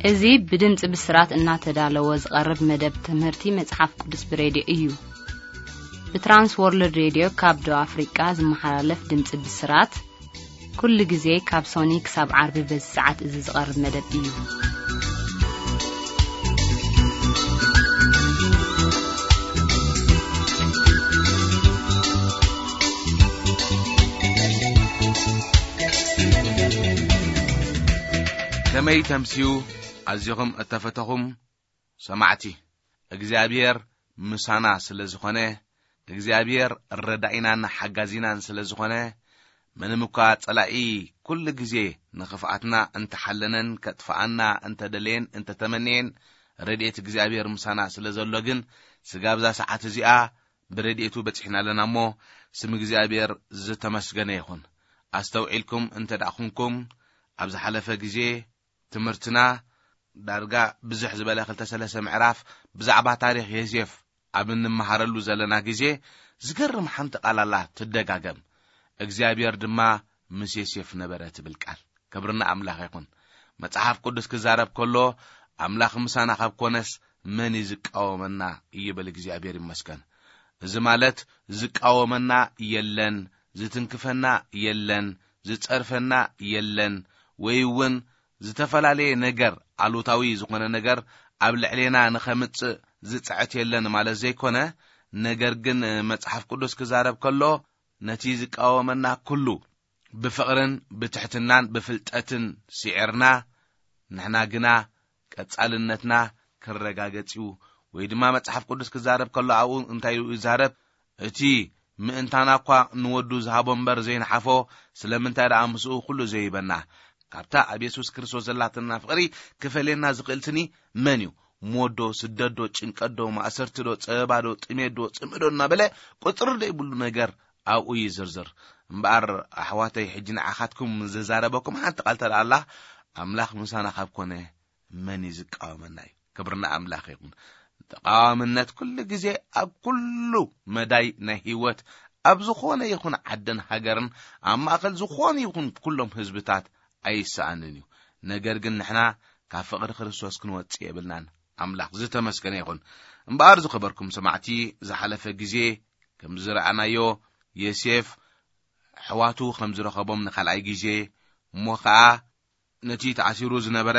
እዚ ብድምፂ ብስራት እናተዳለወ ዝቐርብ መደብ ትምህርቲ መጽሓፍ ቅዱስ ብሬድዮ እዩ። ብትራንስ ወርልድ ሬድዮ ካብ ደቡብ ኣፍሪቃ ዝመሓላለፍ ድምፂ ብስራት፣ ኩሉ ግዜ ካብ ሶኒ ክሳብ ዓርቢ በዚ ሰዓት እዚ ዝቐርብ መደብ እዩ። ከመይ ተምስዩ ኣዚኹም እተፈተኹም ሰማዕቲ፣ እግዚኣብሔር ምሳና ስለ ዝኾነ፣ እግዚኣብሔር ረዳኢናን ሓጋዚናን ስለ ዝኾነ፣ ምንም እኳ ጸላኢ ኩሉ ግዜ ንኽፍኣትና እንተሓለነን ከጥፍኣና እንተደለየን እንተተመንየን፣ ረድኤት እግዚኣብሔር ምሳና ስለ ዘሎ ግን፣ ስጋብ እዛ ሰዓት እዚኣ ብረድኤቱ በጺሕና ኣለና እሞ፣ ስም እግዚኣብሔር ዝተመስገነ ይኹን። ኣስተውዒልኩም እንተ ደኣ ኹንኩም፣ ኣብ ዝሓለፈ ግዜ ትምህርትና ዳርጋ ብዝሕ ዝበለ ክልተ ሰለስተ ምዕራፍ ብዛዕባ ታሪኽ ዮሴፍ ኣብ እንመሃረሉ ዘለና ግዜ፣ ዝገርም ሓንቲ ቃል ኣላ ትደጋገም። እግዚኣብሔር ድማ ምስ ዮሴፍ ነበረ ትብል ቃል። ክብሪ ንኣምላኽ ይኹን። መጽሓፍ ቅዱስ ክዛረብ ከሎ፣ ኣምላኽ ምሳና ካብ ኮነስ መን እዩ ዝቃወመና? ይብል። እግዚኣብሔር ይመስገን። እዚ ማለት ዝቃወመና የለን፣ ዝትንክፈና የለን፣ ዝጸርፈና የለን፣ ወይ እውን ዝተፈላለየ ነገር፣ ኣሉታዊ ዝኾነ ነገር ኣብ ልዕሌና ንኸምጽእ ዝጽዕት የለን ማለት ዘይኮነ፣ ነገር ግን መጽሓፍ ቅዱስ ክዛረብ ከሎ፣ ነቲ ዝቃወመና ኩሉ ብፍቕርን ብትሕትናን ብፍልጠትን ስዒርና፣ ንሕና ግና ቀጻልነትና ክረጋገጽ እዩ። ወይ ድማ መጽሓፍ ቅዱስ ክዛረብ ከሎ ኣብኡ እንታይ ኢሉ ይዛረብ? እቲ ምእንታና እኳ ንወዱ ዝሃቦ እምበር ዘይንሓፎ፣ ስለምንታይ ደኣ ምስኡ ኩሉ ዘይበና? ካብታ ኣብ የሱስ ክርስቶስ ዘላትና ፍቕሪ ክፈልየና ዝኽእል ስኒ መን እዩ? ሞት ዶ፣ ስደት ዶ፣ ጭንቀት ዶ፣ ማእሰርቲ ዶ፣ ጸበባ ዶ፣ ጥሜት ዶ፣ ጽምእ ዶ እናበለ ቁጽሪ ዘይብሉ ነገር ኣብኡ ይዝርዝር። እምበኣር ኣሕዋተይ፣ ሕጂ ንዓኻትኩም ዝዛረበኩም ሓንቲ ቃል ተደኣ ኣላ፣ ኣምላኽ ምሳና ካብ ኮነ መን እዩ ዝቃወመና እዩ? ክብሪ ንኣምላኽ ይኹን። ተቃዋምነት ኩሉ ግዜ ኣብ ኩሉ መዳይ ናይ ህይወት፣ ኣብ ዝኾነ ይኹን ዓድን ሃገርን፣ ኣብ ማእከል ዝኾነ ይኹን ኩሎም ህዝብታት ኣይሰኣንን እዩ። ነገር ግን ንሕና ካብ ፍቕሪ ክርስቶስ ክንወጽእ የብልናን። ኣምላኽ ዝተመስገነ ይኹን። እምበኣር ዝኸበርኩም ሰማዕቲ፣ ዝሓለፈ ግዜ ከም ዝረኣናዮ፣ ዮሴፍ ኣሕዋቱ ከም ዝረኸቦም ንኻልኣይ ግዜ፣ እሞ ኸኣ ነቲ ተኣሲሩ ዝነበረ፣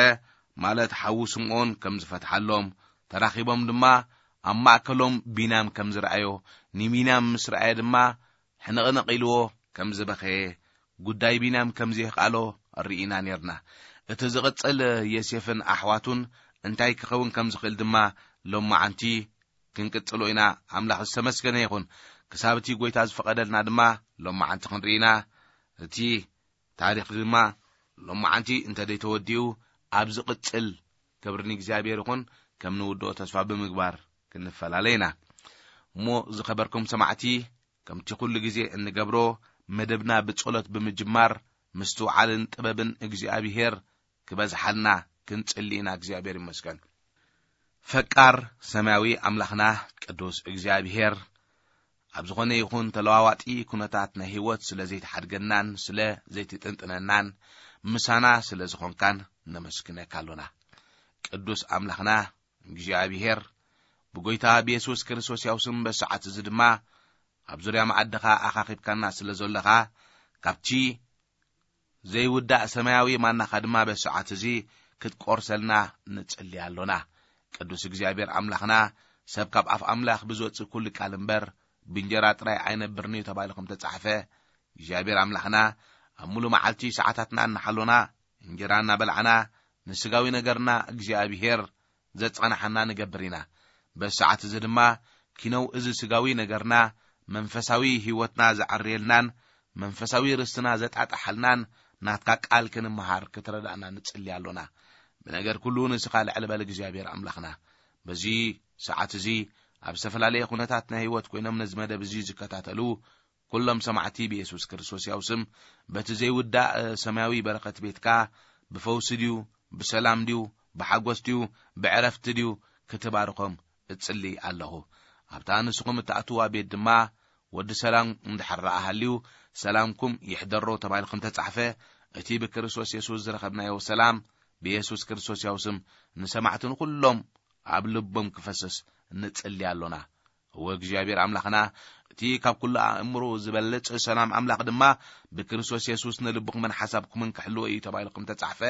ማለት ሓዉ ስምዖን ከም ዝፈትሓሎም፣ ተራኺቦም ድማ ኣብ ማእከሎም ቢንያም ከም ዝረኣዮ፣ ንቢንያም ምስ ረኣየ ድማ ሕንቕንቕ ኢልዎ ከም ዝበኸየ፣ ጉዳይ ቢንያም ከም ዘየኽኣሎ ርኢና ኔርና። እቲ ዝቕጽል ዮሴፍን ኣሕዋቱን እንታይ ክኸውን ከም ዝኽእል ድማ ሎማዓንቲ ክንቅጽሎ ኢና። ኣምላኽ ዝተመስገነ ይኹን። ክሳብ እቲ ጐይታ ዝፈቐደልና ድማ ሎማዓንቲ ክንርኢ ኢና። እቲ ታሪኽ ድማ ሎማዓንቲ እንተ ደይተወዲኡ፣ ኣብ ዝቕጽል፣ ክብሪ ንእግዚኣብሔር ይኹን፣ ከም ንውድኦ ተስፋ ብምግባር ክንፈላለ ኢና። እሞ ዝኸበርኩም ሰማዕቲ፣ ከምቲ ኩሉ ግዜ እንገብሮ፣ መደብና ብጸሎት ብምጅማር፣ ምስትውዓልን ጥበብን እግዚኣብሔር ክበዝሓልና ክንጽሊ ኢና። እግዚኣብሔር ይመስገን። ፈቃር ሰማያዊ ኣምላኽና ቅዱስ እግዚኣብሔር፣ ኣብ ዝኾነ ይኹን ተለዋዋጢ ኩነታት ናይ ህይወት ስለ ዘይትሓድገናን ስለ ዘይትጥንጥነናን፣ ምሳና ስለ ዝኾንካን ነመስግነካ ኣሎና። ቅዱስ ኣምላኽና እግዚኣብሔር፣ ብጎይታ ብየሱስ ክርስቶስ ያው ስም በሰዓት እዚ ድማ ኣብ ዙርያ መኣድኻ ኣኻኺብካና ስለ ዘለኻ፣ ካብቲ ዘይውዳእ ሰማያዊ ማናኻ ድማ በዚ ሰዓት እዚ ክትቆርሰልና ንጽሊ ኣሎና። ቅዱስ እግዚኣብሔር ኣምላኽና፣ ሰብ ካብ ኣፍ ኣምላኽ ብዝወጽእ ኩሉ ቃል እምበር ብእንጀራ ጥራይ ኣይነብርን እዩ ተባሂሉ ከም ተጻሕፈ፣ እግዚኣብሔር ኣምላኽና፣ ኣብ ሙሉ መዓልቲ ሰዓታትና እናሓሎና፣ እንጀራ እናበላዕና፣ ንስጋዊ ነገርና እግዚኣብሔር ዘጻንሓና ንገብር ኢና። በዚ ሰዓት እዚ ድማ ኪነው እዚ ስጋዊ ነገርና መንፈሳዊ ህይወትና ዘዐርየልናን መንፈሳዊ ርስትና ዘጣጣሓልናን ናትካ ቃል ክንመሃር ክትረዳእና ንጽሊ ኣሎና። ብነገር ኩሉ ንስኻ ልዕሊ በል እግዚኣብሔር ኣምላኽና። በዚ ሰዓት እዚ ኣብ ዝተፈላለየ ኩነታት ናይ ህይወት ኮይኖም ነዚ መደብ እዚ ዝከታተሉ ኩሎም ሰማዕቲ ብየሱስ ክርስቶስ ያው ስም፣ በቲ ዘይውዳእ ሰማያዊ በረኸት ቤትካ ብፈውሲ ድዩ፣ ብሰላም ድዩ፣ ብሓጎስ ድዩ፣ ብዕረፍቲ ድዩ ክትባርኾም እጽሊ ኣለኹ። ኣብታ ንስኹም እትኣትዋ ቤት ድማ ወዲ ሰላም እንድሕር ደኣ ሃልዩ፣ ሰላምኩም ይሕደሮ ተባሂሉ ከም ተጻሕፈ፣ እቲ ብክርስቶስ የሱስ ዝረኸብናዮ ሰላም ብየሱስ ክርስቶስ ያው ስም ንሰማዕትን ኩሎም ኣብ ልቦም ክፈስስ ንጽሊ ኣሎና። እወ እግዚኣብሔር ኣምላኽና፣ እቲ ካብ ኩሉ ኣእምሮ ዝበልጽ ሰላም ኣምላኽ ድማ ብክርስቶስ የሱስ ንልብኹምን ሓሳብኩምን ክሕልዎ እዩ ተባሂሉ ከም ተጻሕፈ፣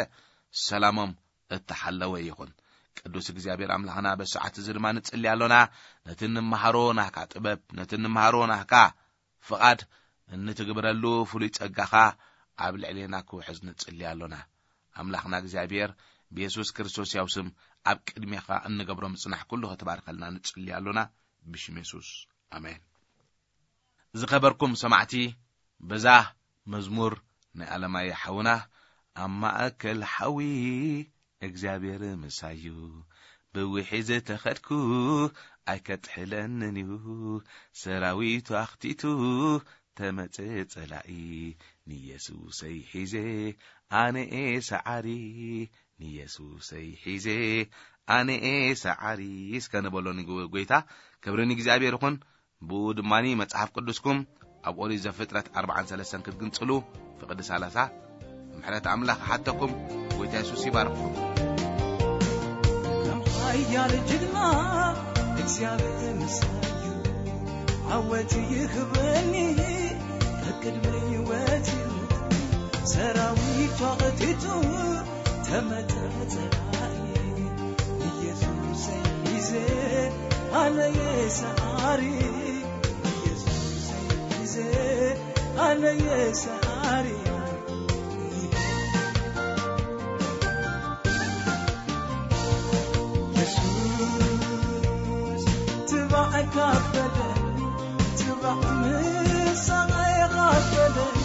ሰላሞም እተሓለወ ይኹን። ቅዱስ እግዚኣብሔር ኣምላኽና፣ በሰዓት እዚ ድማ ንጽሊ ኣሎና። ነቲ እንመሃሮ ናህካ ጥበብ፣ ነቲ እንመሃሮ ናህካ ፍቓድ እንትግብረሉ ፍሉይ ጸጋኻ ኣብ ልዕሌና ክውሕዝ ንጽሊ ኣሎና። ኣምላኽና እግዚኣብሔር፣ ብየሱስ ክርስቶስ ያው ስም ኣብ ቅድሜኻ እንገብሮ ምጽናሕ ኩሉ ክትባርከልና ንጽሊ ኣሎና። ብሽም የሱስ፣ ኣሜን። ዝኸበርኩም ሰማዕቲ፣ በዛ መዝሙር ናይ ኣለማየ ሓውና፣ ኣብ ማእከል ሓዊ እግዚኣብሔር ምሳዩ፣ ብውሒ ዝተኸድኩ ኣይከጥሕለንን እዩ፣ ሰራዊቱ ኣኽቲቱ ተመጸ ጸላኢ፣ ንየሱሰይ ሒዘ ኣነ'የ ሰዓሪ፣ ንየሱሰይ ሒዘ ኣነ'የ ሰዓሪ። እስከ ንበሎ ንጎይታ። ክብሪ ንእግዚኣብሔር ይኹን። ብኡ ድማኒ መጽሓፍ ቅዱስኩም ኣብ ኦሪት ዘፍጥረት ኣርባዓን ሰለስተን ክትግንጽሉ ፍቕዲ ሰላሳ ምሕረት ኣምላኽ ሓተኩም። ጎይታ የሱስ ይባርኽኩም። ከም ሓያል ጅግና እግዚኣብሔር ምሳዩ፣ ዓወት ይህበኒ፣ ከቅድመይ ወጺኡ፣ ሰራዊቱ ኣቕቲቱ፣ ተመተ ጸላኢ። ኢየሱስ ሒዘ ኣነየ ሰዓሪ፣ ኢየሱስ ሒዘ ኣነየ ሰዓሪ። የሱስ ትባዕ ካበለኒ፣ ትባዕ ምሳቐ ካበለኒ፣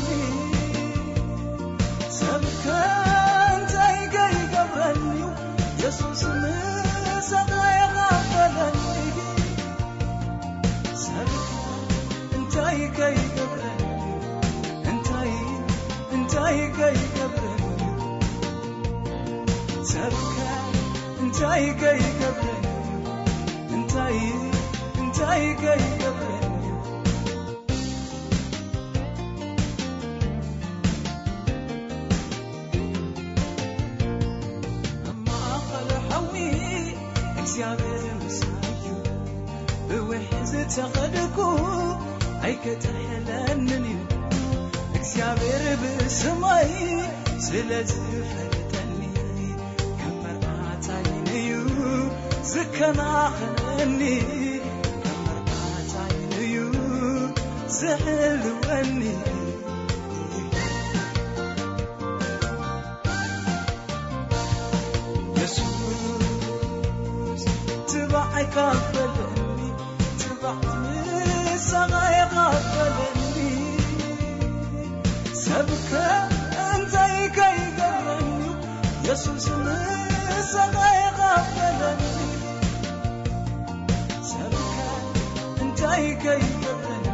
ሰብከ እንታይ ከይገብረኒ፣ የሱስ ምሳቐ ካበለኒ፣ ሰብከ እንታይ ከይገብረኒ፣ እንታይ፣ እንታይ ከይገብረኒ፣ ሰብከ እንታይ ከይገብረኒ፣ እንታይ፣ እንታይ ከይገብረኒ። ኣብ ማእኸል ሓዊ እግዚኣብሔር ምሳዩ፣ ብውሒ ዝተኸድኩ ኣይከጥሕለንን እዩ። እግዚኣብሔር ብስመይ ስለ ዝፈልጠኒ፣ ከም መርዓታይን እዩ ዝከናኸነኒ፣ ከም መርዓታይን እዩ ዝሕልወኒ። የሱስ ትባዕ ካበለኒ፣ ትባዕ ምሳቐ ካበለኒ፣ ሰብከ እንታይ ከይገብረኒ፣ የሱስ ምሳቐ ካበለኒ፣ ሰብከ እንታይ ከይገብረኒ፣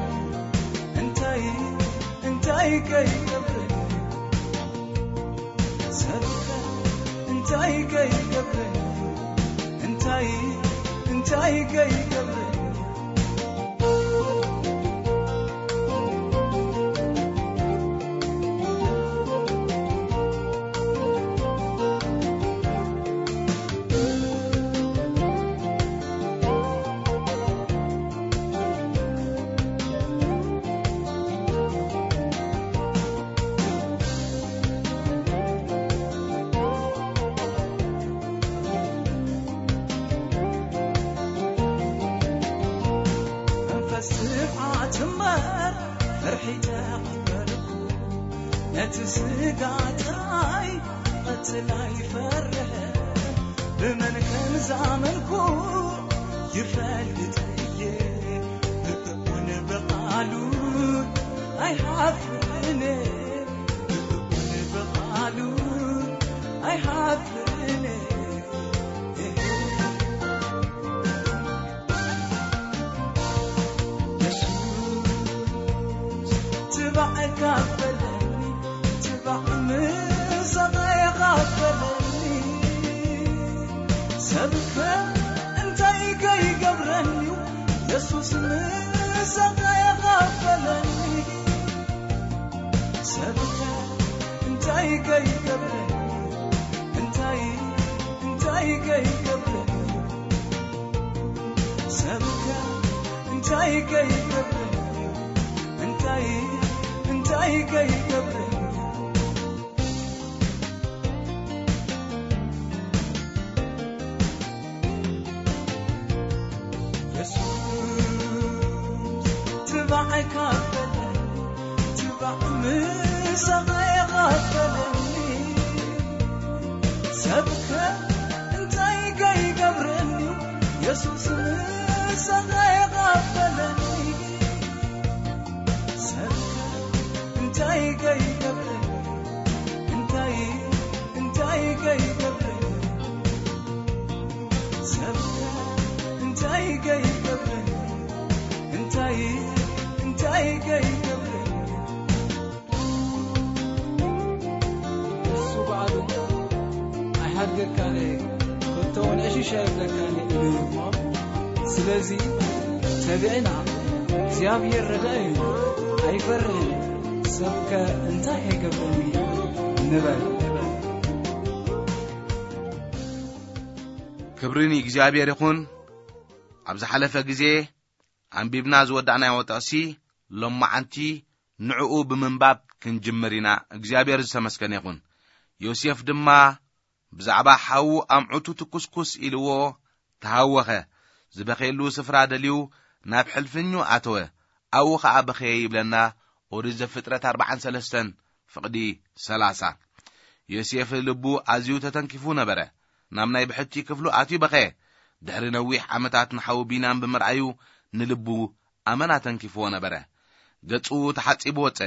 እንታይ፣ እንታይ ከይገብረኒ፣ ሰብከ እንታይ ከይገብረኒ፣ እንታይ፣ እንታይ ከይገብረኒ። መንፈስ ትብዓት እምበር ፍርሒ ተቐበልኩ። ነቲ ስጋ ጥራይ ቀትል ኣይፈርሕ። ብመን ከም ዝኣመንኩ ይፈልጥ እየ። ብእኡን ብቓሉ ኣይሓፍርን። ብእኡን ብቓሉ ኣይሓፍርን። የሱስ ትባዕ ካበለኒ፣ ትባዕ ምሳቐ ካበለኒ፣ ሰብከ እንታይ ከይገብረኒ፣ የሱስ ምሳቐ ካበለኒ፣ ሰብከ እንታይ ከይገብረኒ፣ እንታይ እንታይ ከይገብረኒ ሰብከ እንታይ ከይገብረኒ እንታይ እንታይ ከይገብረኒ የሱስ ትባዕ ካበለኒ ትባዕ ምሳኻ የቓበለኒ ሰብከ እንታይ ከይገብረኒ የሱስ ምሳኻ የቓበለኒ ሰብከ እንታይ ከይገብረኒ እንታይ እንታይ ከይገብረኒ ሰብከ እንታይ ከይገብረኒ እንታይ እንታይ ከይገብረኒ እሱ ባዕሉ ኣይሃድገካን እየ፣ ከቶ እውን ዕሽሽ ኣይብለካን እየ ኢሉ እዩ እሞ፣ ስለዚ ተግዕና እግዚኣብሔር ረዳኢ እዩ፣ ኣይፈርህን፣ ሰብከ እንታይ ከይገብረኒ ንበል። ክብሪ ንእግዚኣብሔር ይኹን። ኣብ ዝሓለፈ ግዜ ኣንቢብና ዝወዳእናዮ ጥቕሲ ሎማዓንቲ ንዕኡ ብምንባብ ክንጅምር ኢና። እግዚኣብሔር ዝተመስገነ ይኹን። ዮሴፍ ድማ ብዛዕባ ሓዉ ኣምዑቱ ትኩስኩስ ኢልዎ ተሃወኸ። ዝበኸየሉ ስፍራ ደልዩ ናብ ሕልፍኙ ኣተወ። ኣብኡ ኸኣ በኸየ ይብለና ኦሪት ዘፍጥረት ኣርብዓን ሰለስተን ፍቕዲ ሰላሳ። ዮሴፍ ልቡ ኣዝዩ ተተንኪፉ ነበረ። ናብ ናይ ብሕቲ ክፍሉ ኣትዩ በኸየ። ድሕሪ ነዊሕ ዓመታት ንሓዉ ቢንያም ብምርኣዩ ንልቡ ኣመና ተንኪፍዎ ነበረ። ገጹ ተሓጺቡ ወጸ።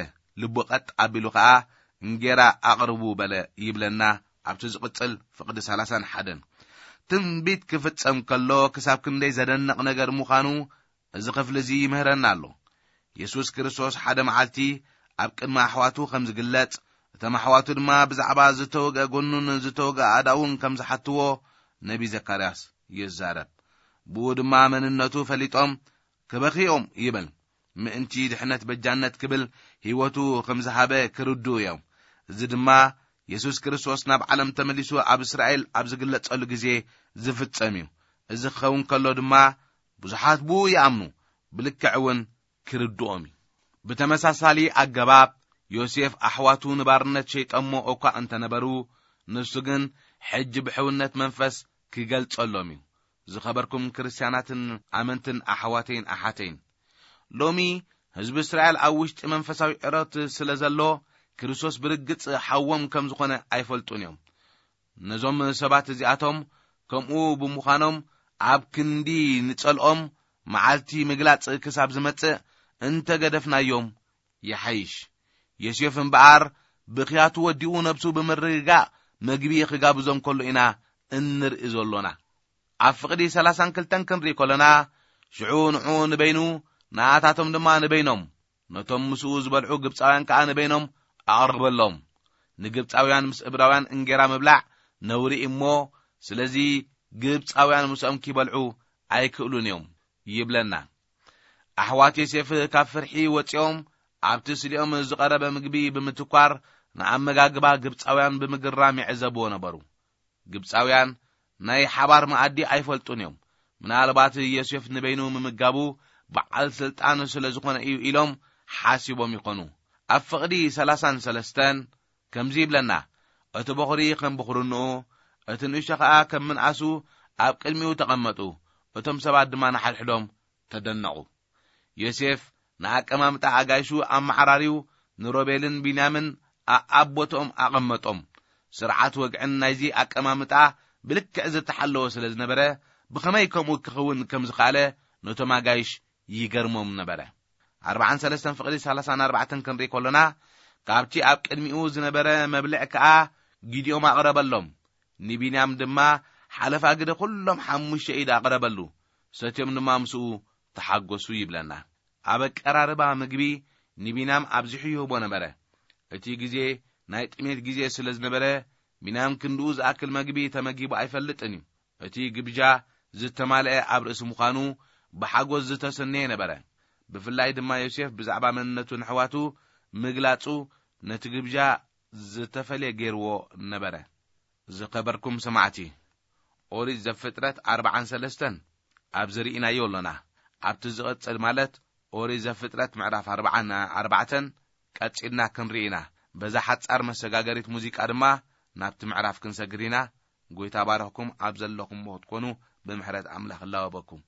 ልቡ ቐጥ ኣቢሉ ኸኣ እንጌራ ኣቕርቡ በለ ይብለና ኣብቲ ዝቕጽል ፍቕዲ ሰላሳን ሓደን። ትንቢት ክፍጸም ከሎ ክሳብ ክንደይ ዘደንቕ ነገር ምዃኑ እዚ ክፍሊ እዚ ይምህረና ኣሎ። የሱስ ክርስቶስ ሓደ መዓልቲ ኣብ ቅድሚ ኣሕዋቱ ከም ዝግለጽ፣ እቶም ኣሕዋቱ ድማ ብዛዕባ ዝተወግአ ጎኑን ዝተወግአ ኣእዳውን ከም ዝሓትዎ ነቢ ዘካርያስ ይዛረብ። ብኡ ድማ መንነቱ ፈሊጦም ክበኽዮም ይብል። ምእንቲ ድሕነት በጃነት ክብል ህይወቱ ከም ዝሃበ ክርድኡ እዮም። እዚ ድማ የሱስ ክርስቶስ ናብ ዓለም ተመሊሱ ኣብ እስራኤል ኣብ ዝግለጸሉ ግዜ ዝፍጸም እዩ። እዚ ክኸውን ከሎ ድማ ብዙሓት ብኡ ይኣምኑ፣ ብልክዕ እውን ክርድኦም እዩ። ብተመሳሳሊ ኣገባብ ዮሴፍ ኣሕዋቱ ንባርነት ሸይጠሞ እኳ እንተነበሩ፣ ንሱ ግን ሕጂ ብሕውነት መንፈስ ክገልጸሎም እዩ። ዝኸበርኩም ክርስትያናትን ኣመንትን ኣሕዋተይን ኣሓተይን፣ ሎሚ ህዝቢ እስራኤል ኣብ ውሽጢ መንፈሳዊ ዕረት ስለ ዘሎ፣ ክርስቶስ ብርግጽ ሓዎም ከም ዝኾነ ኣይፈልጡን እዮም። ነዞም ሰባት እዚኣቶም ከምኡ ብምዃኖም ኣብ ክንዲ ንጸልኦም መዓልቲ ምግላጽ ክሳብ ዝመጽእ እንተገደፍናዮም ይሓይሽ። ዮሴፍ እምበኣር ብኽያቱ ወዲኡ ነብሱ ብምርግጋእ መግቢ ክጋብዞም ከሎ ኢና እንርኢ ዘሎና። ኣብ ፍቕዲ ሰላሳን ክልተን ክንርኢ ከሎና፣ ሽዑ ንዑ ንበይኑ፣ ንኣታቶም ድማ ንበይኖም፣ ነቶም ምስኡ ዝበልዑ ግብጻውያን ከኣ ንበይኖም ኣቕረበሎም። ንግብጻውያን ምስ እብራውያን እንጌራ ምብላዕ ነውሪ እሞ፣ ስለዚ ግብጻውያን ምስኦም ኪበልዑ ኣይክእሉን እዮም ይብለና። ኣሕዋት ዮሴፍ ካብ ፍርሒ ወጺኦም ኣብቲ ስሊኦም ዝቐረበ ምግቢ ብምትኳር ንኣመጋግባ ግብጻውያን ብምግራም ይዕዘብዎ ነበሩ። ግብጻውያን ናይ ሓባር መኣዲ ኣይፈልጡን እዮም። ምናልባት ዮሴፍ ንበይኑ ምምጋቡ በዓል ስልጣን ስለ ዝኾነ እዩ ኢሎም ሓሲቦም ይኾኑ። ኣብ ፍቕዲ ሰላሳን ሰለስተን ከምዚ ይብለና፣ እቲ በኹሪ ከም ብኹርንኡ፣ እቲ ንእሽቶ ኸኣ ከም ምንኣሱ ኣብ ቅድሚኡ ተቐመጡ። እቶም ሰባት ድማ ንሓድሕዶም ተደነቑ። ዮሴፍ ንኣቀማምጣ ኣጋይሹ ኣመዓራርዩ ንሮቤልን ቢንያምን ኣኣብ ቦትኦም ኣቐመጦም። ስርዓት ወግዕን ናይዚ ኣቀማምጣ ብልክዕ ዝተሓለወ ስለ ዝነበረ፣ ብኸመይ ከምኡ ክኸውን ከም ዝኸኣለ ነቶም ኣጋይሽ ይገርሞም ነበረ። ኣርብዓን ሰለስተን ፍቕዲ ሰላሳን ኣርባዕተን ክንርኢ ከሎና፣ ካብቲ ኣብ ቅድሚኡ ዝነበረ መብልዕ ከኣ ጊድኦም ኣቕረበሎም። ንቢንያም ድማ ሓለፋ ግደ ኩሎም ሓሙሽተ ኢድ ኣቕረበሉ። ሰትዮም ድማ ምስኡ ተሓጎሱ ይብለና። ኣብ ኣቀራርባ ምግቢ ንቢንያም ኣብዚሑ ይህቦ ነበረ። እቲ ግዜ ናይ ጥሜት ግዜ ስለ ዝነበረ፣ ቢንያም ክንድኡ ዝኣክል መግቢ ተመጊቡ ኣይፈልጥን እዩ። እቲ ግብጃ ዝተማልአ ኣብ ርእሲ ምዃኑ ብሓጎስ ዝተሰነየ ነበረ። ብፍላይ ድማ ዮሴፍ ብዛዕባ መንነቱ ንኣሕዋቱ ምግላጹ ነቲ ግብጃ ዝተፈልየ ገይርዎ ነበረ። ዝኸበርኩም ሰማዕቲ፣ ኦሪት ዘፍጥረት ኣርባዓን ሰለስተን ኣብዚ ርኢናዮ ኣሎና። ኣብቲ ዝቕጽል፣ ማለት ኦሪት ዘፍጥረት ምዕራፍ ኣርባዓን ኣርባዕተን ቀጺልና ክንርኢ ኢና። በዛ ሓጻር መሰጋገሪት ሙዚቃ ድማ ናብቲ ምዕራፍ ክንሰግር ኢና። ጎይታ ባረኽኩም። ኣብ ዘለኹምዎ ክትኮኑ ብምሕረት ኣምላኽ እላወበኩም።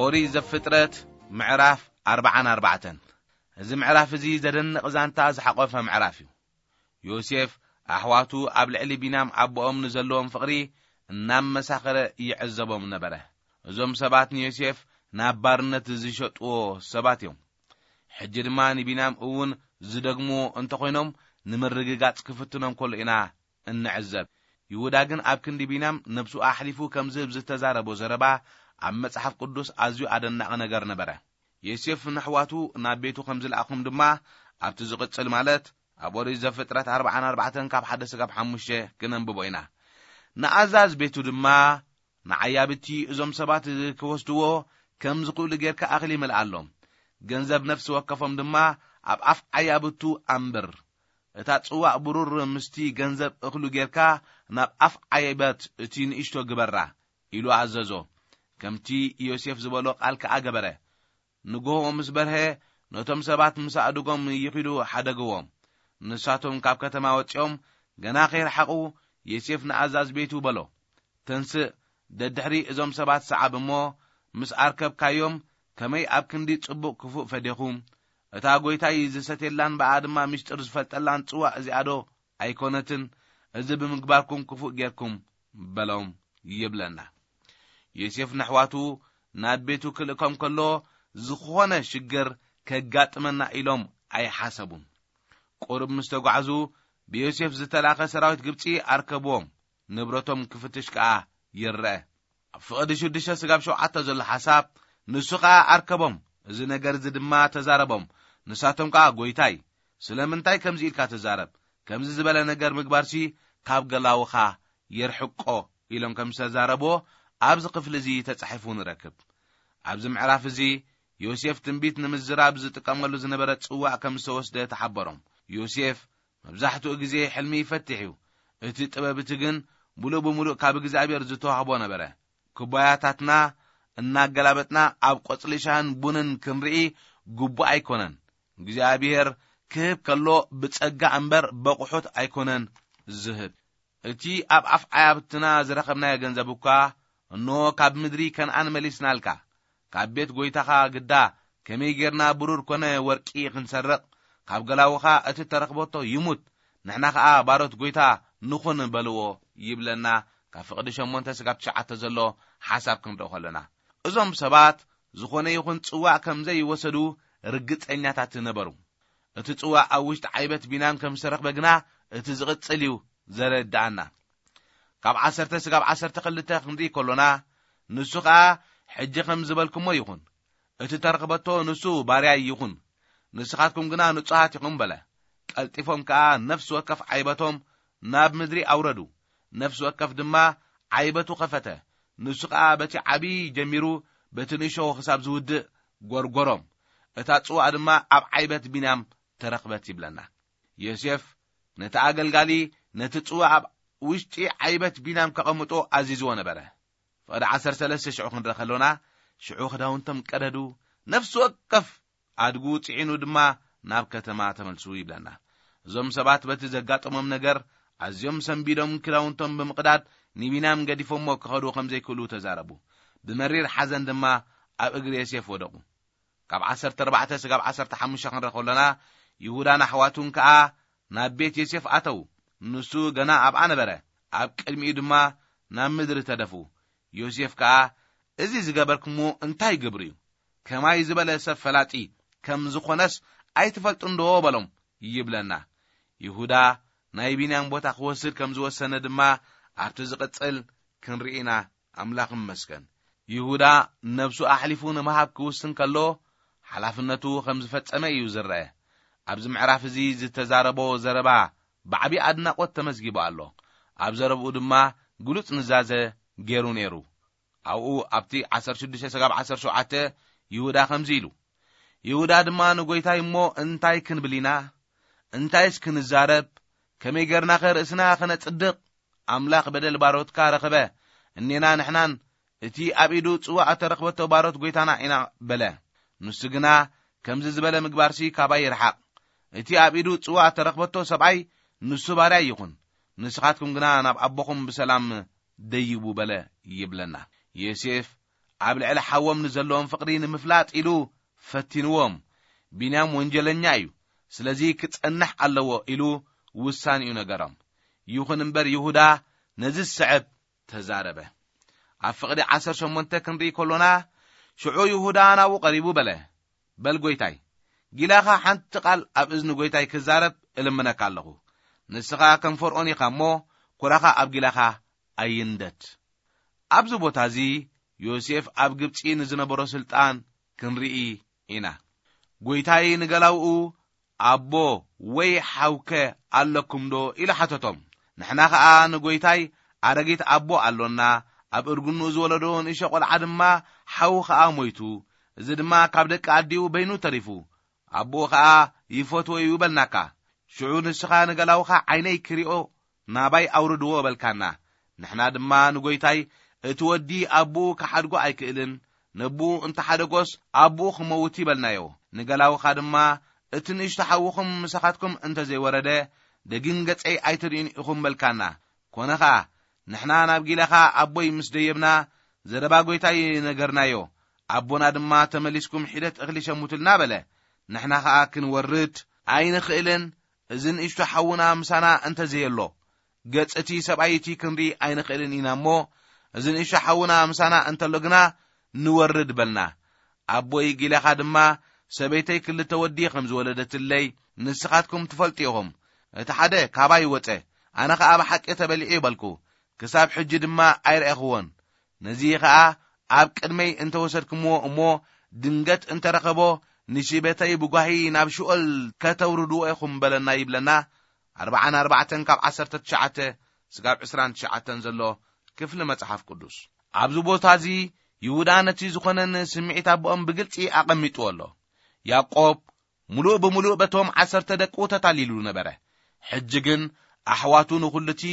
ኦሪት ዘፍጥረት ምዕራፍ ኣርባዓን ኣርባዕተን። እዚ ምዕራፍ እዚ ዘደንቕ ዛንታ ዝሓቖፈ ምዕራፍ እዩ። ዮሴፍ ኣሕዋቱ ኣብ ልዕሊ ቢንያም ኣቦኦም ንዘለዎም ፍቕሪ እናመሳኸረ ይዕዘቦም ነበረ። እዞም ሰባት ንዮሴፍ ናብ ባርነት ዝሸጥዎ ሰባት እዮም። ሕጂ ድማ ንቢንያም እውን ዝደግምዎ እንተኾይኖም፣ ንምርግጋጽ ክፍትኖም ከሎ ኢና እንዕዘብ። ይሁዳ ግን ኣብ ክንዲ ቢንያም ነብሱ ኣሕሊፉ ከም ዝህብ ዝተዛረቦ ዘረባ ኣብ መጽሓፍ ቅዱስ ኣዝዩ ኣደናቒ ነገር ነበረ። ዮሴፍ ንኣሕዋቱ ናብ ቤቱ ከም ዝለኣኹም ድማ ኣብቲ ዝቕጽል፣ ማለት ኣብ ኦሪት ዘፍጥረት ኣርባዓን ኣርባዕተን ካብ ሓደ ስጋብ ሓሙሽተ ክነንብቦ ኢና። ንኣዛዝ ቤቱ ድማ ንዓያብቲ እዞም ሰባት ክወስድዎ ከም ዝኽእሉ ጌርካ እኽሊ ምልኣሎም። ገንዘብ ነፍሲ ወከፎም ድማ ኣብ ኣፍ ዓያብቱ ኣንብር። እታ ጽዋእ ብሩር ምስቲ ገንዘብ እኽሉ ጌርካ ናብ ኣፍ ዓይበት እቲ ንእሽቶ ግበራ፣ ኢሉ ኣዘዞ። ከምቲ ዮሴፍ ዝበሎ ቃል ከኣ ገበረ። ንግሆ ምስ በርሀ፣ ነቶም ሰባት ምስ ኣእድጎም ይኺዱ ሓደግዎም። ንሳቶም ካብ ከተማ ወጺኦም ገና ከይረሓቑ፣ ዮሴፍ ንኣዛዝ ቤቱ በሎ፣ "ተንስእ፣ ደድሕሪ እዞም ሰባት ሰዓብ እሞ፣ ምስ ኣርከብካዮም፣ ከመይ ኣብ ክንዲ ጽቡቕ ክፉእ ፈዴኹም! እታ ጐይታይ ዝሰትየላን ብኣ ድማ ምስጢር ዝፈልጠላን ጽዋእ እዚኣዶ ኣይኮነትን? እዚ ብምግባርኩም ክፉእ ጌርኩም" በሎም ይብለና። ዮሴፍ ነሕዋቱ ናብ ቤቱ ክልእኮም ከሎ፣ ዝኾነ ሽግር ከጋጥመና ኢሎም ኣይሓሰቡን። ቁሩብ ምስ ተጓዕዙ፣ ብዮሴፍ ዝተላኸ ሰራዊት ግብጺ ኣርከብዎም፣ ንብረቶም ክፍትሽ ከኣ ይረአ። ኣብ ፍቕዲ ሽዱሽተ ስጋብ ሸውዓተ ዘሎ ሓሳብ፣ ንሱ ኸኣ ኣርከቦም፣ እዚ ነገር እዚ ድማ ተዛረቦም። ንሳቶም ከኣ፣ "ጐይታይ፣ ስለምንታይ ከምዚ ኢልካ ትዛረብ? ከምዚ ዝበለ ነገር ምግባርሲ ካብ ገላውኻ የርሕቆ" ኢሎም ከም ዝተዛረብዎ ኣብዚ ክፍሊ እዚ ተጻሒፉ ንረክብ። ኣብዚ ምዕራፍ እዚ ዮሴፍ ትንቢት ንምዝራብ ዝጥቀመሉ ዝነበረ ጽዋእ ከም ዝተወስደ ተሓበሮም። ዮሴፍ መብዛሕትኡ ግዜ ሕልሚ ይፈትሕ እዩ። እቲ ጥበብ እቲ ግን ምሉእ ብምሉእ ካብ እግዚኣብሔር ዝተዋህቦ ነበረ። ኩባያታትና እናገላበጥና ኣብ ቆጽሊ ሻህን ቡንን ክንርኢ ግቡእ ኣይኮነን። እግዚኣብሔር ክህብ ከሎ ብጸጋ እምበር በቑሑት ኣይኮነን ዝህብ። እቲ ኣብ ኣፍ ዓያብትና ዝረኸብናዮ ገንዘብ እኳ፣ እንሆ፣ ካብ ምድሪ ከነኣን መሊስናልካ። ካብ ቤት ጐይታኻ ግዳ ከመይ ጌርና ብሩር ኮነ ወርቂ ክንሰርቕ፣ ካብ ገላውኻ እቲ ተረኽበቶ ይሙት፣ ንሕና ኸኣ ባሮት ጐይታ ንኹን በልዎ ይብለና። ካብ ፍቕዲ ሸሞንተ ስጋብ ትሽዓተ ዘሎ ሓሳብ ክንርኢ ከለና፣ እዞም ሰባት ዝኾነ ይኹን ጽዋእ ከም ዘይወሰዱ ርግጸኛታት ነበሩ። እቲ ጽዋእ ኣብ ውሽጢ ዓይበት ቢንያም ከም ዝተረኽበ ግና እቲ ዝቕጽል እዩ ዘረድኣና። ካብ ዓሰርተ ስጋብ ዓሰርተ ክልተ ክንርኢ ከሎና፣ ንሱ ኸኣ፣ "ሕጂ ከም ዝበልኩሞ ይኹን፣ እቲ ተረኽበቶ ንሱ ባርያይ ይኹን፣ ንስኻትኩም ግና ንጹሃት ኢኹም" በለ። ቀልጢፎም ከኣ ነፍሲ ወከፍ ዓይበቶም ናብ ምድሪ ኣውረዱ። ነፍሲ ወከፍ ድማ ዓይበቱ ኸፈተ። ንሱ ኸኣ በቲ ዓቢ ጀሚሩ በቲ ንእሾ ክሳብ ዝውድእ ጐርጐሮም። እታ ጽዋእ ድማ ኣብ ዓይበት ቢንያም ተረኽበት ይብለና። ዮሴፍ ነቲ ኣገልጋሊ ነቲ ጽዋእ ኣብ ውሽጢ ዓይበት ቢንያም ከቐምጦ ኣዚዝዎ ነበረ። ፍቕዲ ዓሰርተ ሰለስተ ሽዑ ክንርኢ ከሎና፣ ሽዑ ክዳውንቶም ቀደዱ፣ ነፍሲ ወከፍ ኣድጉ ጽዒኑ ድማ ናብ ከተማ ተመልሱ ይብለና። እዞም ሰባት በቲ ዘጋጠሞም ነገር ኣዝዮም ሰንቢዶም፣ ክዳውንቶም ብምቕዳድ ንቢንያም ገዲፎሞ ክኸዱ ከም ዘይክእሉ ተዛረቡ። ብመሪር ሓዘን ድማ ኣብ እግሪ ዮሴፍ ወደቑ። ካብ ዓሰርተ ኣርባዕተ ስጋብ ዓሰርተ ሓሙሽተ ክንርኢ ከሎና፣ ይሁዳን ኣሕዋቱን ከኣ ናብ ቤት ዮሴፍ ኣተዉ። ንሱ ገና ኣብኣ ነበረ። ኣብ ቅድሚኡ ድማ ናብ ምድሪ ተደፉ። ዮሴፍ ከኣ፣ "እዚ ዝገበርኩምዎ እንታይ ግብሪ እዩ? ከማይ ዝበለ ሰብ ፈላጢ ከም ዝኾነስ ኣይትፈልጡን ዶ?" በሎም ይብለና። ይሁዳ ናይ ቢንያም ቦታ ክወስድ ከም ዝወሰነ ድማ ኣብቲ ዝቕጽል ክንርኢ ኢና። ኣምላኽ ይመስገን። ይሁዳ ነብሱ ኣሕሊፉ ንምሃብ ክውስን ከሎ፣ ሓላፍነቱ ከም ዝፈጸመ እዩ ዝረአ። ኣብዚ ምዕራፍ እዚ ዝተዛረቦ ዘረባ ብዓቢ ኣድናቖት ተመዝጊቡ ኣሎ። ኣብ ዘረብኡ ድማ ግሉጽ ንዛዘ ገይሩ ነይሩ። ኣብኡ ኣብቲ ዓሰርተ ሽዱሽተ ስጋብ ዓሰርተ ሸውዓተ ይሁዳ ከምዚ ኢሉ፣ ይሁዳ ድማ ንጎይታይ፣ "እሞ እንታይ ክንብል ኢና? እንታይስ ክንዛረብ? ከመይ ጌርናኸ ርእስና ኸነጽድቕ? ኣምላኽ በደል ባሮትካ ረኸበ፣ እኔና ንሕናን እቲ ኣብ ኢዱ ጽዋእ እተረኽበቶ ባሮት ጎይታና ኢና" በለ። ንሱ ግና፣ "ከምዚ ዝበለ ምግባርሲ ካባይ ይርሓቕ። እቲ ኣብ ኢዱ ጽዋእ እተረኽበቶ ሰብኣይ ንሱ ባርያ ይኹን፣ ንስኻትኩም ግና ናብ ኣቦኹም ብሰላም ደይቡ" በለ ይብለና። ዮሴፍ ኣብ ልዕሊ ሓዎም ንዘለዎም ፍቕሪ ንምፍላጥ ኢሉ ፈቲንዎም። ቢንያም ወንጀለኛ እዩ፣ ስለዚ ክጸንሕ ኣለዎ ኢሉ ውሳኔኡ ነገሮም። ይኹን እምበር ይሁዳ ነዚ ዝስዕብ ተዛረበ። ኣብ ፍቕዲ ዓሰርተ ሸሞንተ ክንርኢ ከሎና፣ ሽዑ ይሁዳ ናብኡ ቀሪቡ በለ፣ "በል ጎይታይ፣ ጊላኻ ሓንቲ ቃል ኣብ እዝኒ ጎይታይ ክዛረብ እልምነካ ኣለኹ። ንስኻ ከም ፈርዖን ኢኻ እሞ፣ ኩራኻ ኣብ ጊላኻ ኣይንደድ።" ኣብዚ ቦታ እዚ ዮሴፍ ኣብ ግብጺ ንዝነበሮ ስልጣን ክንርኢ ኢና። "ጎይታይ ንገላውኡ ኣቦ ወይ ሓውከ ኣለኩምዶ?" ኢሉ ሓተቶም። ንሕና ኸኣ ንጎይታይ ኣረጊት ኣቦ ኣሎና፣ ኣብ እርግንኡ ዝወለዶ ንእሽቶ ቈልዓ ድማ ሓዉ ኸኣ ሞይቱ፣ እዚ ድማ ካብ ደቂ ኣዲኡ በይኑ ተሪፉ፣ ኣቦኡ ኸኣ ይፈትዎ እዩ በልናካ። ሽዑ ንስኻ ንገላውኻ ዓይነይ ክሪኦ ናባይ ኣውርድዎ በልካና። ንሕና ድማ ንጎይታይ፣ እቲ ወዲ ኣቦኡ ክሓድጎ ኣይክእልን፣ ነቦኡ እንተሓደጎስ ኣቦኡ ክመውት ይበልናዮ። ንገላውኻ ድማ፣ እቲ ንእሽቶ ሓውኹም ምሳኻትኩም እንተ ዘይወረደ፣ ደጊም ገጸይ ኣይትርእዩን ኢኹም በልካና። ኮነ ኸኣ፣ ንሕና ናብ ጊላኻ ኣቦይ ምስ ደየብና፣ ዘረባ ጐይታይ ነገርናዮ። ኣቦና ድማ፣ "ተመሊስኩም ሒደት እኽሊ ሸሙትልና" በለ። ንሕና ኸኣ፣ "ክንወርድ ኣይንኽእልን፣ እዚ ንእሽቶ ሓውና ምሳና እንተ ዘየሎ፣ ገጽ እቲ ሰብኣይ እቲ ክንርኢ ኣይንኽእልን ኢና እሞ፣ እዚ ንእሽቶ ሓውና ምሳና እንተሎ ግና ንወርድ" በልና። ኣቦይ ጊላኻ ድማ፣ "ሰበይተይ ክልተ ወዲ ከም ዝወለደትለይ ንስኻትኩም ትፈልጡ ኢኹም። እቲ ሓደ ካባይ ወጸ፣ ኣነ ኸኣ ብሓቂ ተበሊዑ" በልኩ። ክሳብ ሕጂ ድማ ኣይረኣኹዎን። ነዚ ኸኣ ኣብ ቅድመይ እንተ ወሰድኩምዎ እሞ፣ ድንገት እንተ ረኸቦ፣ ንሽበተይ ብጓሂ ናብ ሽኦል ከተውርድዎ ኢኹም በለና ይብለና። ኣርብዓን ኣርባዕተን ካብ ዓሰርተ ትሽዓተ ስጋብ ዕስራን ትሽዓተን ዘሎ ክፍሊ መጽሓፍ ቅዱስ። ኣብዚ ቦታ እዚ ይሁዳ ነቲ ዝኾነን ስምዒት ኣቦኦም ብግልጺ ኣቐሚጥዎ ኣሎ። ያዕቆብ ምሉእ ብምሉእ በቶም ዓሰርተ ደቁ ተታሊሉ ነበረ። ሕጂ ግን ኣሕዋቱ ንኹሉ እቲ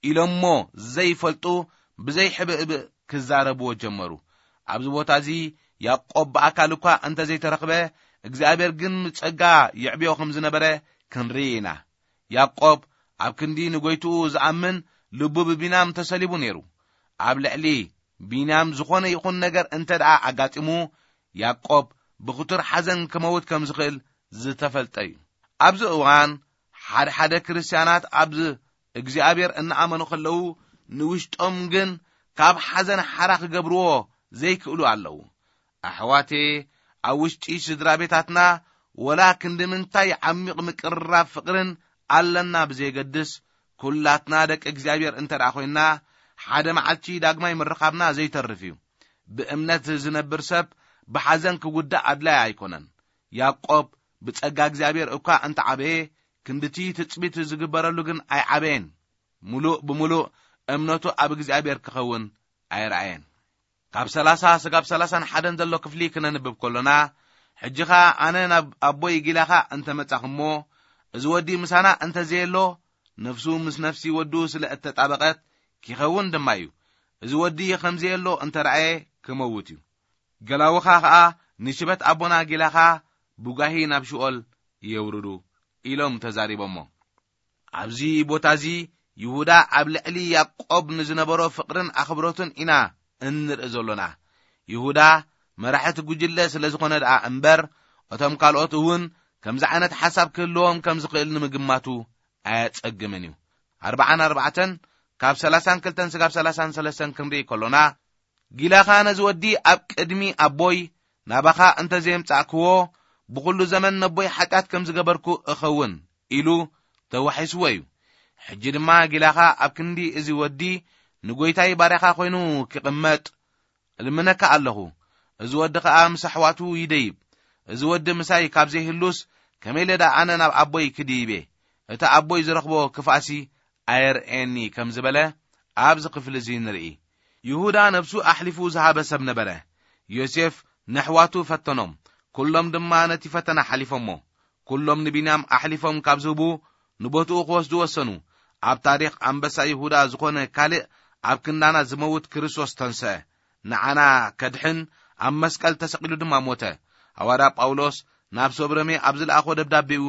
ኢሎሞ ዘይፈልጡ ብዘይሕብእብእ ክዛረብዎ ጀመሩ። ኣብዚ ቦታ እዚ ያዕቆብ ብኣካል እኳ እንተ ዘይተረኽበ፣ እግዚኣብሔር ግን ብጸጋ የዕብዮ ከም ዝነበረ ክንርኢ ኢና። ያዕቆብ ኣብ ክንዲ ንጎይትኡ ዝኣምን ልቡ ብቢንያም ተሰሊቡ ነይሩ። ኣብ ልዕሊ ቢንያም ዝኾነ ይኹን ነገር እንተ ደኣ ኣጋጢሙ፣ ያዕቆብ ብኽቱር ሓዘን ክመውት ከም ዝኽእል ዝተፈልጠ እዩ። ኣብዚ እዋን ሓደ ሓደ ክርስትያናት ኣብ እግዚኣብሔር እናኣመኑ ከለዉ፣ ንውሽጦም ግን ካብ ሓዘን ሓራ ክገብርዎ ዘይክእሉ ኣለዉ። ኣሕዋቴ፣ ኣብ ውሽጢ ስድራ ቤታትና ወላ ክንዲ ምንታይ ዓሚቕ ምቅርራብ ፍቕርን ኣለና ብዘየገድስ፣ ኩላትና ደቂ እግዚኣብሔር እንተ ደኣ ኮይንና፣ ሓደ መዓልቲ ዳግማይ ምርኻብና ዘይተርፍ እዩ። ብእምነት ዝነብር ሰብ ብሓዘን ክጉዳእ ኣድላይ ኣይኮነን። ያዕቆብ ብጸጋ እግዚኣብሔር እኳ እንተ ዓበየ፣ ክንድቲ ትጽቢት ዝግበረሉ ግን ኣይዓበየን። ምሉእ ብምሉእ እምነቱ ኣብ እግዚኣብሔር ክኸውን ኣይረኣየን። ካብ ሰላሳ ስጋብ ሰላሳን ሓደን ዘሎ ክፍሊ ክነንብብ ከሎና፣ ሕጂ ኸኣ ኣነ ናብ ኣቦይ ጊላኻ እንተ መጻኹ እሞ፣ እዚ ወዲ ምሳና እንተ ዘየሎ፣ ነፍሱ ምስ ነፍሲ ወዱ ስለ እተጣበቐት፣ ኪኸውን ድማ እዩ። እዚ ወዲ ኸም ዘየሎ እንተ ረኣየ፣ ክመውት እዩ። ገላውኻ ኸኣ ንሽበት ኣቦና ጊላኻ ብጓሂ ናብ ሽኦል የውርዱ፣ ኢሎም ተዛሪቦሞ። ኣብዚ ቦታ እዚ ይሁዳ ኣብ ልዕሊ ያዕቆብ ንዝነበሮ ፍቕርን ኣኽብሮትን ኢና እንርኢ ዘሎና። ይሁዳ መራሕቲ ጉጅለ ስለ ዝኾነ ደኣ እምበር፣ እቶም ካልኦት እውን ከምዚ ዓይነት ሓሳብ ክህልዎም ከም ዝኽእል ንምግማቱ ኣየጸግምን እዩ። ኣርብዓን ኣርባዕተን ካብ ሰላሳን ክልተን ስጋብ ሰላሳን ሰለስተን ክንርኢ ከሎና፣ ጊላኻ ነዚ ወዲ ኣብ ቅድሚ ኣቦይ ናባኻ እንተ ዘየምጻእክዎ፣ ብኹሉ ዘመን ነቦይ ሓጢኣት ከም ዝገበርኩ እኸውን፣ ኢሉ ተዋሒስዎ እዩ። ሕጂ ድማ ጊላኻ ኣብ ክንዲ እዚ ወዲ ንጎይታይ ባርያኻ ኮይኑ ክቕመጥ እልምነካ ኣለኹ። እዚ ወዲ ኸኣ ምስ ኣሕዋቱ ይደይብ፣ እዚ ወዲ ምሳይ ካብ ዘይህሉስ፣ ከመይ ኢለ ደኣ ኣነ ናብ ኣቦይ ክድይብ እየ? እቲ ኣቦይ ዝረኽቦ ክፍኣሲ ኣየርእየኒ ከም ዝበለ ኣብዚ ክፍሊ እዚ ንርኢ። ይሁዳ ነብሱ ኣሕሊፉ ዝሃበ ሰብ ነበረ። ዮሴፍ ነሕዋቱ ፈተኖም፣ ኩሎም ድማ ነቲ ፈተና ሓሊፎሞ። ኩሎም ንቢንያም ኣሕሊፎም ካብ ዝህቡ፣ ንቦትኡ ክወስዱ ወሰኑ። ኣብ ታሪኽ ኣንበሳ ይሁዳ ዝኾነ ካልእ ኣብ ክንዳና ዝመውት ክርስቶስ ተንስአ። ንዓና ከድሕን ኣብ መስቀል ተሰቒሉ ድማ ሞተ። ሃዋርያ ጳውሎስ ናብ ሰብ ሮሜ ኣብ ዝለኣኾ ደብዳቤኡ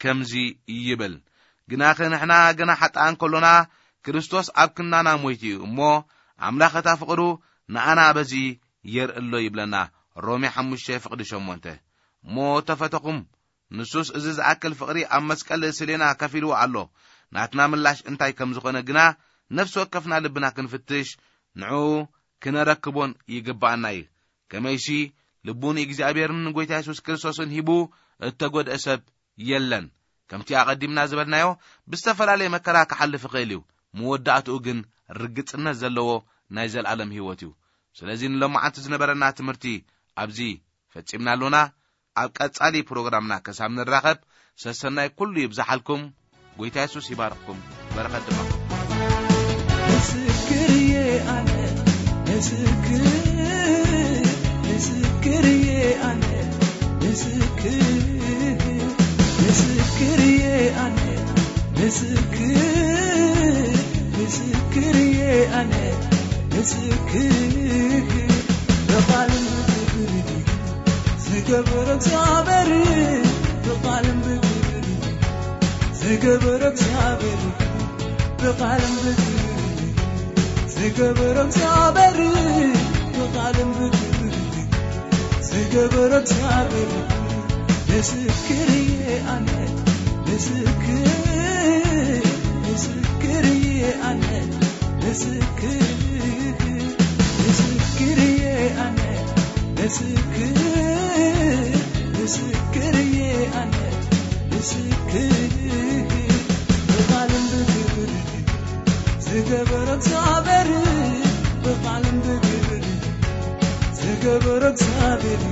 ከምዚ ይብል፣ "ግናኸ ንሕና ገና ሓጥኣን ከሎና ክርስቶስ ኣብ ክንዳና ሞይቱ እዩ እሞ፣ ኣምላኽ እታ ፍቕሩ ንኣና በዚ የርእሎ" ይብለና። ሮሜ ሓሙሽተ ፍቕዲ ሸሞንተ። እሞ ተፈተኹም፣ ንሱስ እዚ ዝኣክል ፍቕሪ ኣብ መስቀል ስሌና ከፊልዎ ኣሎ። ናትና ምላሽ እንታይ ከም ዝኾነ ግና ነፍሲ ወከፍና ልብና ክንፍትሽ፣ ንዕኡ ክነረክቦን ይግብኣና እዩ። ከመይሲ ልቡ ንእግዚኣብሔርን ንጎይታ የሱስ ክርስቶስን ሂቡ እተጎድአ ሰብ የለን። ከምቲ ኣቐዲምና ዝበልናዮ፣ ብዝተፈላለየ መከራ ክሓልፍ ይኽእል እዩ። መወዳእትኡ ግን ርግጽነት ዘለዎ ናይ ዘለኣለም ህይወት እዩ። ስለዚ ንሎማዓንቲ ዝነበረና ትምህርቲ ኣብዚ ፈጺምና ኣሎና። ኣብ ቀጻሊ ፕሮግራምና ክሳብ ንራኸብ፣ ሰሰናይ ኩሉ ይብዛሓልኩም። ጎይታ የሱስ ይባርኽኩም። በረኸት ድማ። ምስክር እየ ኣነ፣ ምስክር፣ ምስክር እየ ኣነ፣ ምስክር፣ ምስክር እየ ኣነ፣ ምስክር፣ ምስክር እየ ኣነ፣ ምስክር፣ ብቓልን ብግብርን ዝገበረ እግዚኣብሔር፣ ብቓልን ብግብርን ዝገበረ እግዚኣብሔር፣ ብቓልን ብግብርን ዝገበረ እግዚኣብሔር፣ ብቓልን ብግብርን ዝገበረ እግዚኣብሔር፣ ምስክር እየ ኣነ፣ ምስክር፣ ምስክር እየ ኣነ፣ ምስክር፣ ምስክር እየ ኣነ፣ ምስክር፣ ምስክር እየ ኣነ፣ ምስክር፣ ብቓልን ብግብርን ዝገበረ እግዚኣብሔር፣ ብቓልን ብግብርን ዝገበረ እግዚኣብሔር፣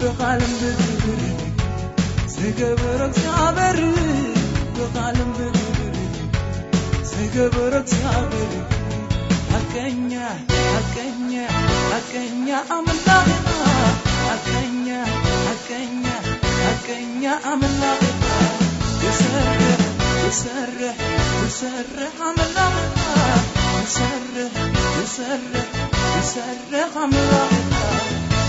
ብቓልን ብግብርን ዝገበረ እግዚኣብሔር፣ ብቓልን ብግብርን ዝገበረ እግዚኣብሔር፣ ሓቀኛ፣ ሓቀኛ፣ ሓቀኛ ኣምላኽና፣ ሓቀኛ፣ ሓቀኛ፣ ሓቀኛ ኣምላኽና፣ ይሰርሕ፣ ይሰርሕ፣ ይሰርሕ ኣምላኽና፣ ይሰርሕ፣ ይሰርሕ፣ ይሰርሕ ኣምላኽና፣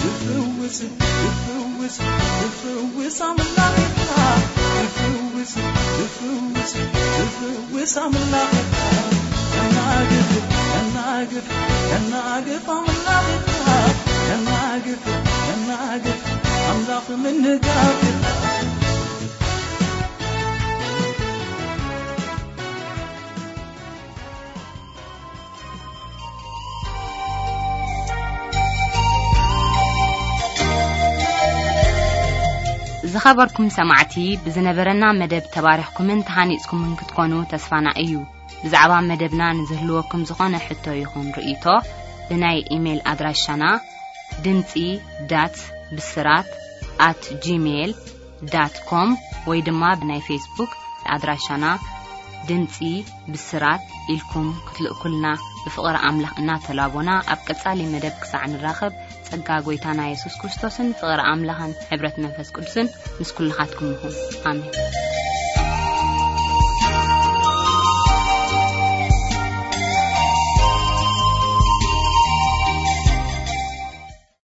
ይፍውስ፣ ይፍውስ፣ ይፍውስ ኣምላኽና፣ ይፍውስ፣ ይፍውስ፣ ይፍውስ ኣምላኽና፣ የናግፍ፣ የናግፍ፣ የናግፍ ኣምላኽና፣ የናግፍ፣ የናግፍ ኣምላኽ ምንጋፍና። ዝኸበርኩም ሰማዕቲ፣ ብዝነበረና መደብ ተባሪኽኩምን ተሃኒጽኩምን ክትኮኑ ተስፋና እዩ። ብዛዕባ መደብና ንዝህልወኩም ዝኾነ ሕቶ ይኹን ርእይቶ፣ ብናይ ኢሜይል ኣድራሻና ድምጺ ዳት ብስራት ኣት ጂሜይል ዳት ኮም ወይ ድማ ብናይ ፌስቡክ ኣድራሻና ድምጺ ብስራት ኢልኩም ክትልእኩልና ብፍቕሪ ኣምላኽ እናተላቦና፣ ኣብ ቀጻሊ መደብ ክሳዕ ንራኸብ፣ ጸጋ ጐይታና የሱስ ክርስቶስን ፍቕሪ ኣምላኽን ሕብረት መንፈስ ቅዱስን ምስ ኩልኻትኩም ይኹን። ኣሜን።